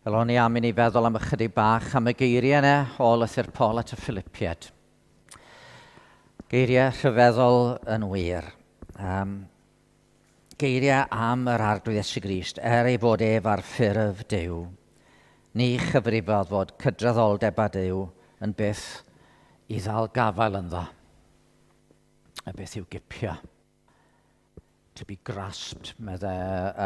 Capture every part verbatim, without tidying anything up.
Wel, o'n i am i ni feddwl am ychydig bach am y geiriau yna o lythyr Paul at y Philippiaid. Geiriau rhyfeddol yn wir. Um, geiriau am yr Arglwydd Iesu Grist, er ei fod ef ar ffurf Duw, ni chyfrifodd fod cydraddoldeb â Duw yn byth i ddal gafael ynddo, a beth i'w gipio. To be grasped, medde uh,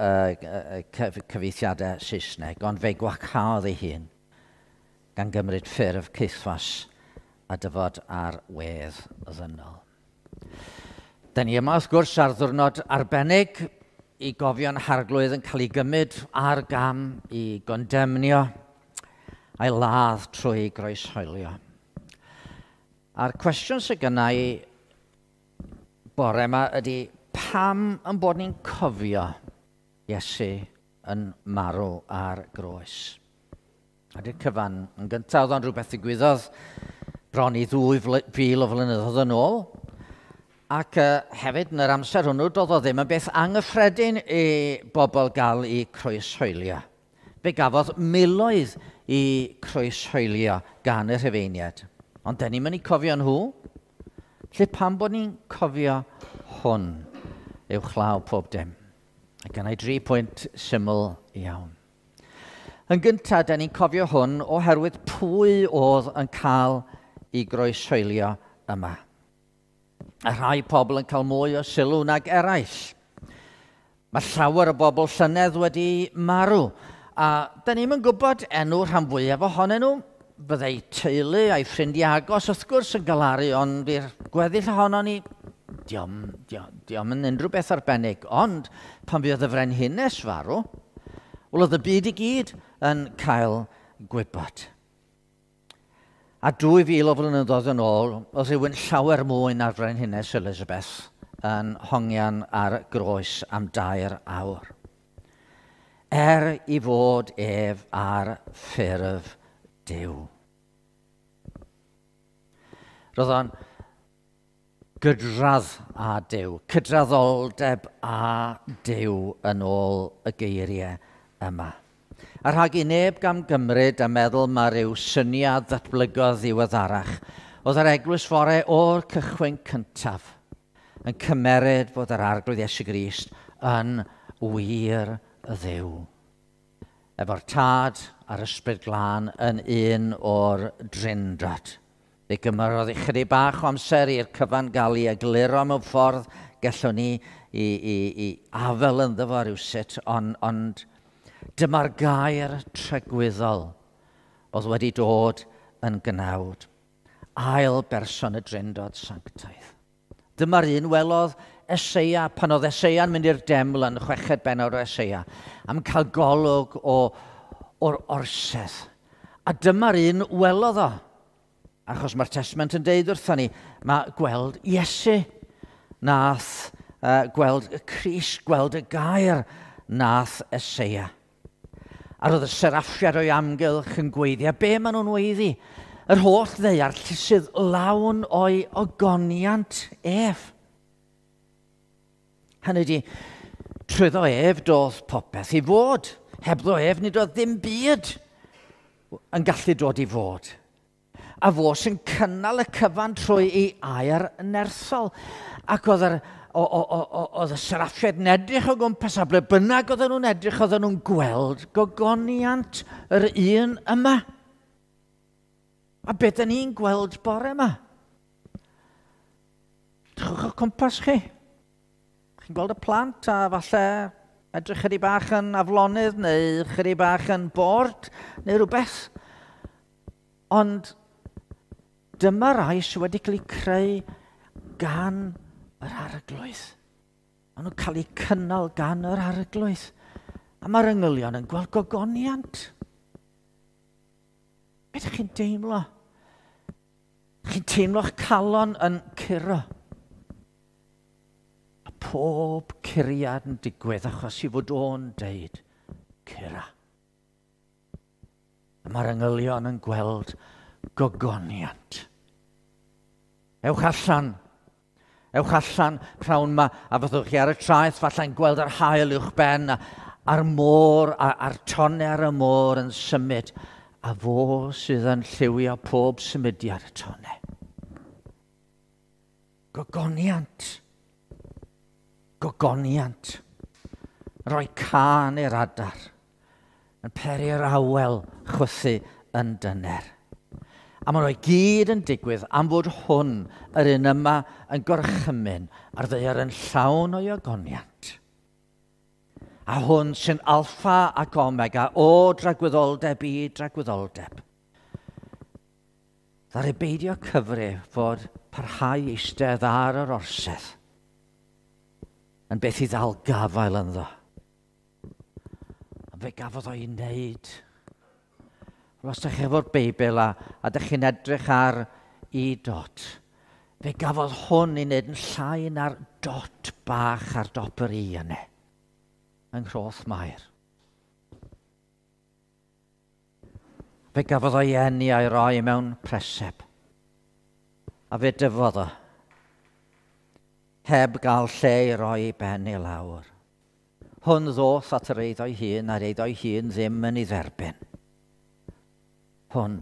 uh, uh, cyfieithiadau Saesneg, ond fe gwacaodd ei hun gan gymryd ffurf caethwas a dyfod ar wedd ddynol. Da ni yma, wrth gwrs, ar ddwrnod arbennig i gofio'n Harglwydd yn cael ei gymryd ar gam i gondemnio a'i ladd trwy groeshoelio. A'r cwestiwn sydd gynna i bore yma ydy, pam yn bod ni'n cofio Iesu yn marw ar groes? A di'r cyfan yn gyntaf, oedd o'n rhywbeth ddigwyddodd bron i ddwy fil o flynyddoedd yn ôl. Ac uh, hefyd yn yr amser hwnnw, doedd o ddim yn beth anghyffredin i bobl gael eu croeshoelio. Fe gafodd miloedd i croeshoelio gan y Rhufeiniaid. Ond dyn ni'n mynd i cofio nhw. Lle pam bod ni'n cofio hwn uwchlaw pob dim? A gynna i dri pwynt syml iawn. Yn gyntaf, da ni'n cofio hwn oherwydd pwy oedd yn cael ei groeshoelio yma. A rhai pobl yn cael mwy o sylw nag eraill. Mae llawer o bobl llynedd wedi marw, a da ni'm yn gwybod enw rhan fwyaf ohonyn nhw. Byddai teulu a'i ffrindiau agos wrth gwrs yn galaru, ond i'r gweddill ohono ni, diom, diom, diom yn unrhyw beth arbennig. Ond pan fuodd y frenhines farw, wel oedd y byd i gyd yn cael gwybod. A dwy fil o flynyddoedd yn ôl, oedd rhywun llawer mwy na'r frenhines Elizabeth yn hongian ar groes am dair awr. Er i fod ef ar ffurf Duw. Roedd o'n gydradd â Duw, cydraddoldeb â Duw yn ôl y geiriau yma. A rhag i neb gam gymryd a meddwl mae rhyw syniad ddatblygodd ddiweddarach, oedd yr eglwys fore o'r cychwyn cyntaf yn cymeryd fod yr Arglwydd Iesu Grist yn wir Dduw. Efo'r Tad a'r Ysbryd Glân yn un o'r Drindod. Fe gymerodd ychydig bach o amser i'r cyfan gael ei egluro mewn ffordd gallwn ni i, i, i afel ynddo fo rywsut, ond, ond dyma'r gair tragwyddol oedd wedi dod yn gnawd. Ail berson y Drindod Sanctaidd. Dyma'r un welodd Eseia, pan oedd Eseia'n mynd i'r deml yn chweched bennod o Eseia, am cael golwg o, o'r orsedd. A dyma'r un welodd o. Achos mae'r Testament yn deud wrthon ni, mae gweld Iesu nath uh, gweld y Crist, gweld y gair nath Eseia. A roedd y seraffiad o'i amgylch yn gweiddi. A be maen nhw'n weiddi? Yr holl ddaear sydd lawn o'i ogoniant ef. Hynny ydi, trwyddo ef doedd popeth i fod. Hebddo ef nid oedd ddim byd yn gallu dod i fod. A fo sy'n cynnal y cyfan trwy ei air nerthol. Ac oedd yr, o, o, o, oedd y seraffiaid yn edrych o gwmpas, a ble bynnag oedden nhw'n edrych, oedden nhw'n gweld gogoniant yr un yma. A beth dyn ni'n gweld bore yma? Drychwch o'ch cwmpas chi. Chi'n gweld y plant a falle edrych chydig bach yn aflonydd neu chydig bach yn bored neu rhywbeth. Ond dyma rai sydd wedi cael eu creu gan yr Arglwydd. Maen nhw'n cael eu cynnal gan yr Arglwydd. A mae'r angylion yn gweld gogoniant. Be ydych chi'n deimlo? Chi'n teimlo'ch calon yn curo. A pob curiad yn digwydd achos i fod o'n deud, cura. A mae'r angylion yn gweld gogoniant. Ewch allan. Ewch allan prawn ma, a fyddwch chi ar y traeth, falle'n gweld yr haul uwch ben, a, a'r môr, a'r tonnau ar y môr yn symud, a fo sydd yn lliwio pob symudiad y tonnau. Gogoniant. Gogoniant. Rhoi cân i'r adar, yn peri'r awel chwythu yn dyner. A maen nhw i gyd yn digwydd am fod hwn, yr un yma, yn gorchymyn a'r ddaear yn llawn o'i ogoniant. A hwn sy'n alffa ac omega o dragwyddoldeb i dragwyddoldeb. Ddaru beidio cyfri fod parhau eistedd ar yr orsedd yn beth i ddal gafael ynddo. A fe gafodd o'i wneud. Os ydych chi efo'r Beibl a, a ydych chi'n edrych ar i dot, fe gafodd hwn ei wneud yn llai na'r dot bach ar dop yr i yna, yng Nghroth Mair. Fe gafodd o'i eni a'i roi mewn preseb, a fe dyfodd o, heb gael lle i roi ei ben i lawr. Hwn ddoth at yr eiddo'i hun, a'r eiddo'i hun ddim yn ei dderbyn. Hwn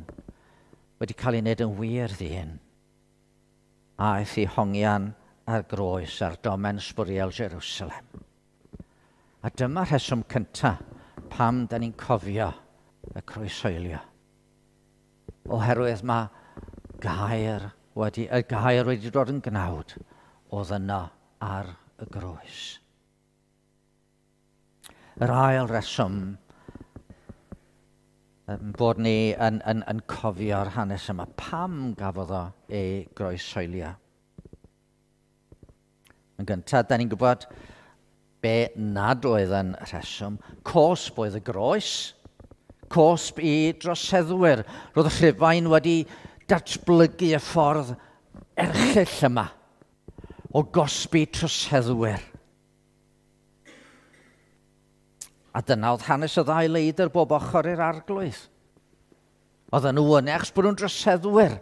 wedi cael ei wneud yn wir ddyn, aeth i hongian ar groes ar domen sbwriel Jerusalem. A dyma rheswm cyntaf pam da ni'n cofio y croeshoelio. Oherwydd mae gair wedi, y gair wedi dod yn gnawd oedd yno ar y groes. Yr ail reswm bod ni yn, yn, yn cofio'r hanes yma. Pam gafodd o ei groeshoelio? Yn gyntaf, da ni'n gwybod be nad oedd yn rheswm. Cosb oedd y groes. Cosb i droseddwyr. Roedd y Rhufain wedi datblygu y ffordd erchyll yma o gosbi troseddwyr. A dyna oedd hanes y ddau leidr bob ochr i'r arglwydd. Oedden nhw yna achos bod nhw'n droseddwyr.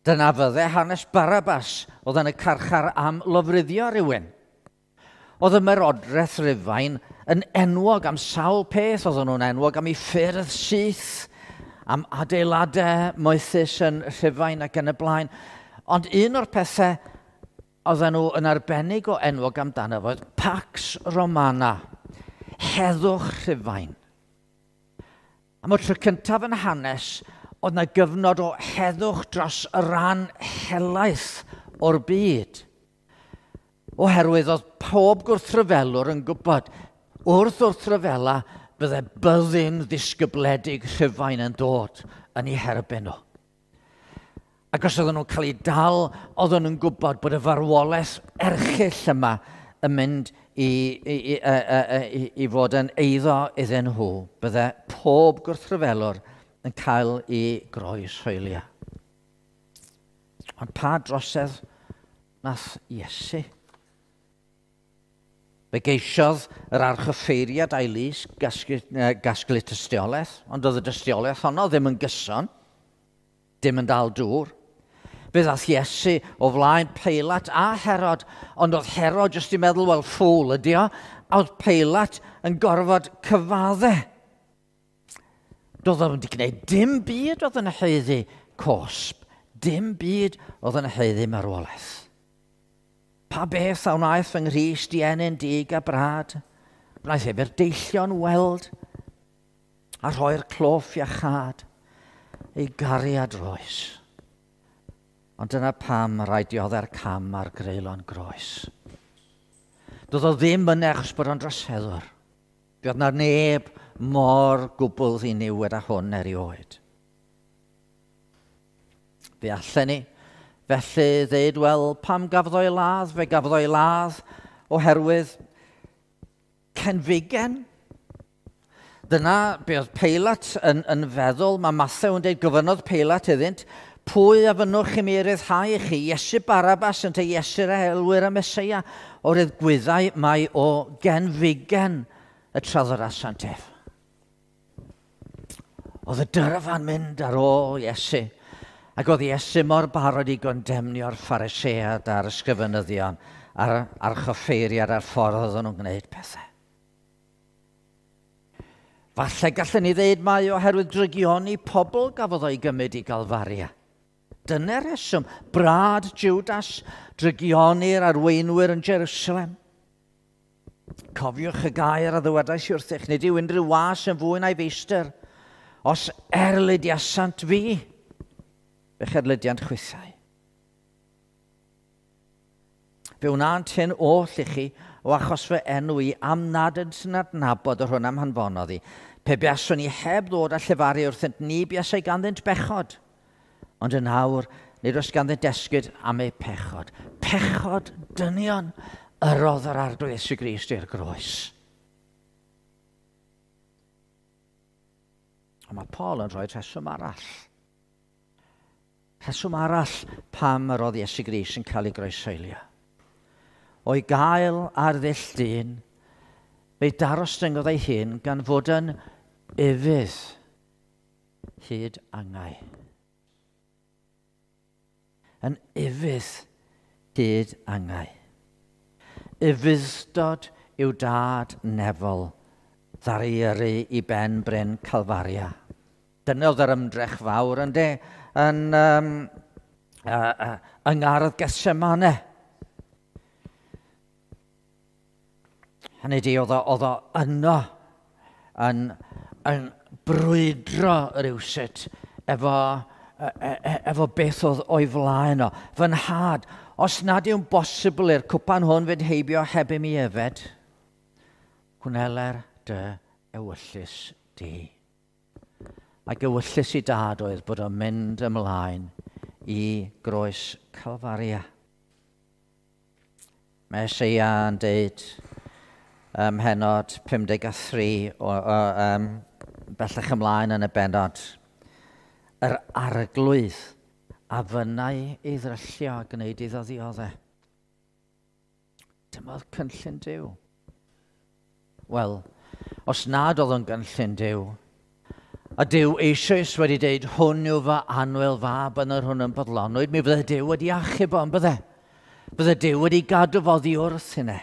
Dyna fydde hanes Barabbas, oedd yn y carchar am lofruddio rhywun. Oedd y Ymerodraeth Rufain yn enwog am sawl peth. Oedden nhw'n enwog am ei ffyrdd syth, am adeiladau moethus yn Rhufain ac yn y blaen. Ond un o'r pethau oedden nhw yn arbennig o enwog amdano oedd Pax Romana, heddwch Rhufain. Am y tro cyntaf yn hanes, oedd yna gyfnod o heddwch dros y ran helaeth o'r byd. Oherwydd oedd pob gwrthryfelwr yn gwybod, wrth wrthryfela, bydde byddin ddisgybledig Rhufain yn dod yn eu herbyn nhw. Ac os oedden nhw'n cael eu dal, oedden nhw'n gwybod bod y farwolaeth erchyll yma yn mynd i, i, i, i, i fod yn eiddo iddyn nhw. Bydde pob gwrthryfelwr yn cael ei groeshoelio. Ond pa drosedd nath Iesu? Fe geisiodd yr archoffeiriad a'i lys gasglu, gasglu tystiolaeth, ond oedd y dystiolaeth honno ddim yn gyson, dim yn dal dŵr. Fe ddath Iesu o flaen Peilat a Herod, ond oedd Herod jyst i meddwl, wel, ffŵl ydi o, a oedd Peilat yn gorfod cyfadde. Doedd o'n wedi gwneud dim byd oedd yn haeddu cosb, dim byd oedd yn haeddu marwolaeth. Pa beth a wnaeth fy Nghrist i ennyn dig a brad? Wnaeth ef i'r deillion weld a rhoi'r cloff iachâd ei gariad roes. Ond dyna pam rhaid dioddau'r cam ar greulon groes. Doedd o ddim yn achos bod o'n droseddwr. Doedd na neb mor gwbl ddiniwed â hwn erioed. Fe allen ni felly ddeud, wel, pam gafodd o'i ladd? Fe gafodd o'i ladd oherwydd cenfigen. Dyna be oedd Peilat yn, yn feddwl. Mae Mathew yn dweud, gofynnodd Peilat iddynt, pwy a fynnwch i mi ryddhau i chi? Iesu Barabbas yn te Iesu'r elwyr y Meseia. Oherwydd gwyddai mai o genfigen y traddodasant ef. Oedd y dyrfa'n mynd ar ôl Iesu. Ac oedd Iesu mor barod i gondemnio'r Phariseaid a'r ysgrifenyddion a'r archoffeiriad a'r ffordd oedden nhw'n gwneud pethau. Falle gallwn ni ddeud mai oherwydd drygioni pobl gafodd o'i gymryd i Galfaria. Dyna'r rheswm, brad Judas, drygioni'r arweinwyr yn Jerusalem. Cofiwch y gair a ddywedais i wrthych, nid yw unrhyw was yn fwy na'i feistr. Os erlidiasant fi, fe'ch erlidiant chwithau. Fe wnânt hyn oll i chi o achos fy enw i am nad ydynt yn adnabod yr hwn am hanfonodd i. Pe buaswn i heb ddod a llefaru wrthynt, ni buasai ganddynt bechod. Ond yn awr, nid oes ganddynt esgud am eu pechod. Pechod dynion yrrodd yr Arglwydd Iesu Grist i'r groes. Ond mae Paul yn rhoi rheswm arall. Rheswm arall pam yr oedd Iesu Grist yn cael ei groeshoelio. O'i gael ar ddull dyn, fe'i darostyngodd ei hun gan fod yn ufudd hyd angau. Yn ufudd hyd angau. Ufudd-dod yw dad nefol ddaru yrru i ben bryn Calfaria. Dyna oedd yr ymdrech fawr ynde, yn, um, uh, uh, yng ngardd Gethsemane. Hynny di, oedd o, oedd o yno yn, yn brwydro rywsut efo, e, e, efo beth oedd o'i flaen o. Fy nhad, os nad yw'n bosibl i'r cwpan hwn fynd heibio heb i mi yfed, gwneler dy ewyllys di. Ac ewyllys i dad oedd bod o'n mynd ymlaen i groes Calfaria. Mae Eseia yn deud ym mhennod pum deg a thri, o, o, um, bellach ymlaen yn y bennod, yr Arglwydd a fynnai ei ddryllio a gwneud iddo ddioddef. Dyma oedd cynllun Duw. Wel, os nad oedd o'n gynllun Duw, a Duw eisoes wedi deud, hwn yw fy annwyl fab yn yr hwn yn bodlonwyd, mi fydde Duw wedi achub o, yn bydde? Bydde Duw wedi gadw fo oddi wrth hynny.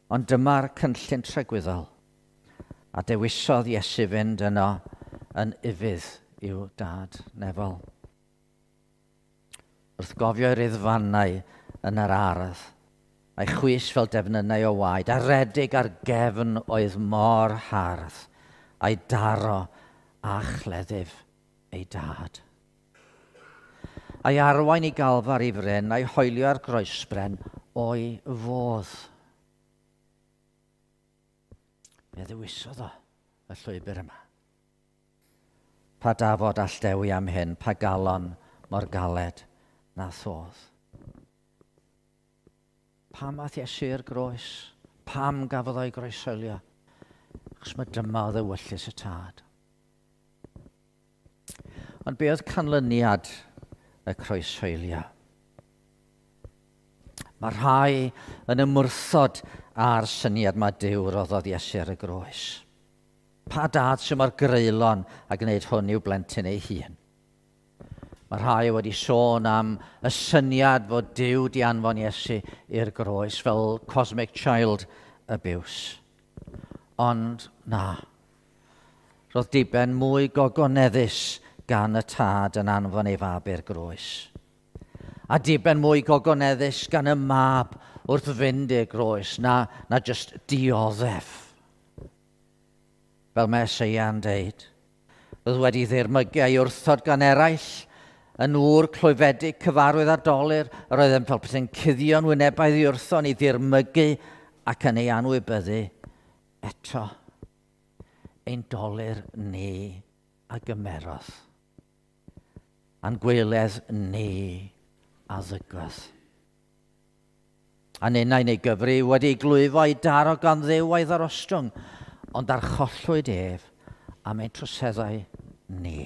Ond dyma'r cynllun tragwyddol, a dewisodd Iesu fynd yno yn ufudd i'w dad nefol. Wrth gofio i'r riddfannau yn yr ardd, a'i chwys fel defnynnau o waed, a redig ar gefn oedd mor hardd, a'i daro a chleddyf ei dad. A'i arwain i Galfar i fryn, a'i hoelio ar groesbren o'i fodd. Fe ddewisodd o y llwybr yma. Pa dafod all dewi am hyn, pa galon mor galed na thodd. Pam ath Iesu i'r groes? Pam gafodd o'i groeshoelio? Achos mae dyma oedd ewyllys y tad. Ond be oedd canlyniad y croeshoelio? Mae rhai yn ymwrthod â'r syniad mae Duw roddodd Iesu ar y groes. Pa dad sy'n mor greulon a gwneud hwn i'w blentyn ei hun? Mae rhai wedi sôn am y syniad fod Duw di anfon Iesu i'r groes fel cosmic child abuse. Ond na, roedd diben mwy gogoneddus gan y tad yn anfon ei fab i'r groes. A diben mwy gogoneddus gan y mab wrth fynd i'r groes na, na just dioddef. Fel mae Eseia'n deud, roedd wedi ddirmygu a'i wrthod gan eraill, yn ŵr clwyfedig cyfarwydd â dolur, yr oedd yn fel petai'n cuddio'n wynebau iddi wrtho yn ei ddirmygu ac yn ei anwybyddu. Eto, ein dolur ni a gymerodd, a'n gweledd ni a ddygodd. A ninnau neu gyfri wedi glwyfo i daro gan Dduw a'i ddarostwng, ond archollwyd ef am ein troseddau ni,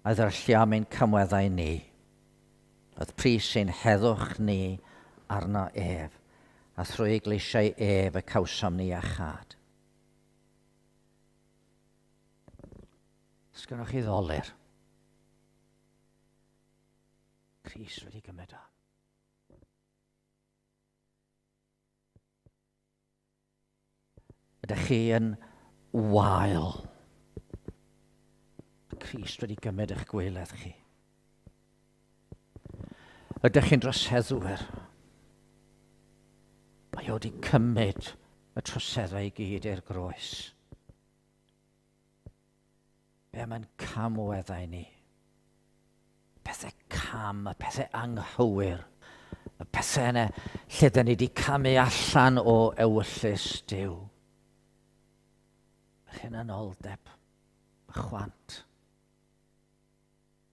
a ddryllio am ein camweddau ni. Oedd pris ein heddwch ni arno ef, a thrwy gleisiau ef y cawsom ni iachâd. Sgynnoch chi ddolur? Crist wedi gymryd o. Ydych chi yn wael. Mae Crist wedi gymryd eich gwaeledd chi. Ydych chi'n droseddwyr? Mae o wedi cymryd y troseddau i gyd i'r groes. Be mae'n camweddau ni? Pethau cam, y pethau anghywir, y pethau yna lle dyn ni wedi camu allan o ewyllys Duw. Yr hunanoldeb, y chwant,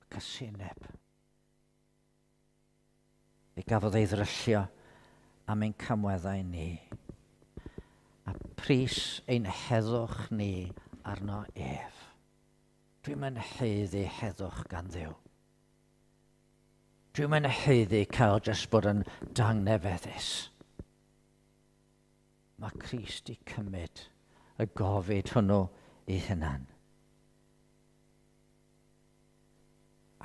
y casineb. Fe gafodd ei ddryllio am ein camweddau ni, a pris ein heddwch ni arno ef. Dwi'm yn haeddu heddwch gan Dduw. Dwi'm yn haeddu cael jyst bod yn dangnefeddus. Mae Crist i cymryd y gofid hwnnw ei hunan.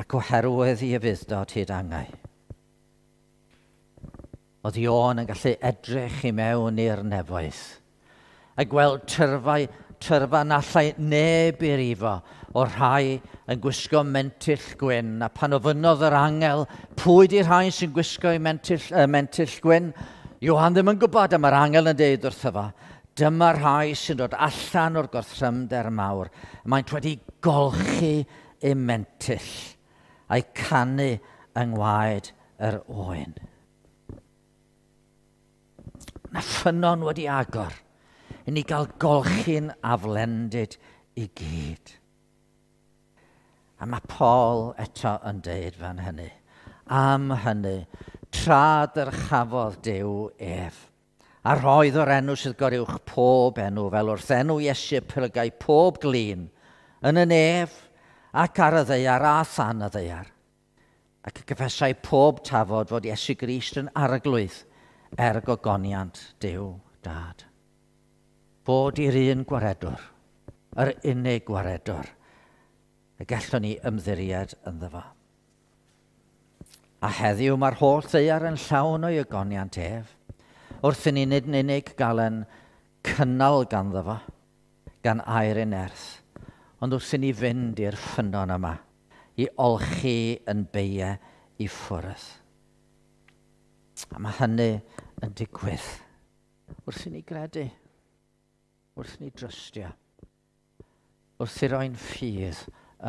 Ac oherwydd ei ufudd-dod hyd angau, oedd Ioan yn gallu edrych i mewn i'r nefoedd a gweld tyrfau, tyrfa na allai neb i rifo o'r rhai yn gwisgo mentyll gwyn. A pan ofynnodd yr angel, pwy di'r rhai sy'n gwisgo i mentyll, uh, mentyll gwyn? Ioan ddim yn gwybod, a mae'r angel yn deud wrtho fo, dyma'r rhai sy'n dod allan o'r gorthrymder mawr. Maent wedi golchi eu mentyll a'i canu yng ngwaed yr oen. Na ffynnon wedi agor i ni gael golchi'n aflendid i gyd. A mae Paul eto yn deud fan hynny. Am hynny, tra dyrchafodd Duw ef, a roedd o'r enw sydd goruwch pob enw, fel wrth enw Iesu plygai pob glin, yn y nef ac ar y ddaear a than y ddaear. Ac y cyffesai pob tafod fod Iesu Grist yn arglwydd er gogoniant Duw Dad. Bod i'r un gwaredwr, yr unig gwaredwr, y gallwn ni ymddiried ynddo fo. A heddiw mae'r holl ddaear yn llawn o'i ogoniant ef, wrth i ni nid yn unig gael yn cynnal ganddo fo, gan air ei nerth, ond wrth i ni fynd i'r ffynnon yma, i olchi yn beiau i ffwrdd. A mae hynny yn digwydd wrth i ni gredu, wrth i ni drystio, wrth i roi'n ffydd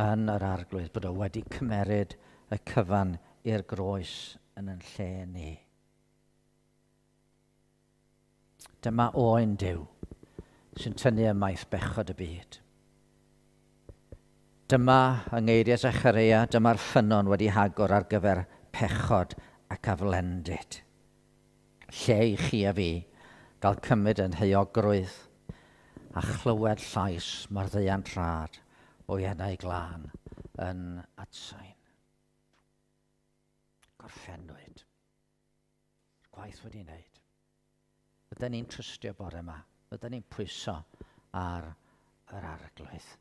yn yr arglwydd bod o wedi cymeryd y cyfan i'r groes yn yn lle ni. Dyma oen Duw sy'n tynnu ymaith bechod y byd. Dyma, yng ngeiriau Zechareia, dyma'r ffynnon wedi hagor ar gyfer pechod ac aflendid. Lle i chi a fi gael cymryd yn heuogrwydd a chlywed llais maddeuant rhad o'i enau glân yn atsain. Gorffennwyd. Gwaith wedi wneud. Bydden ni'n trystio bore yma. Bydden ni'n pwyso ar yr arglwydd.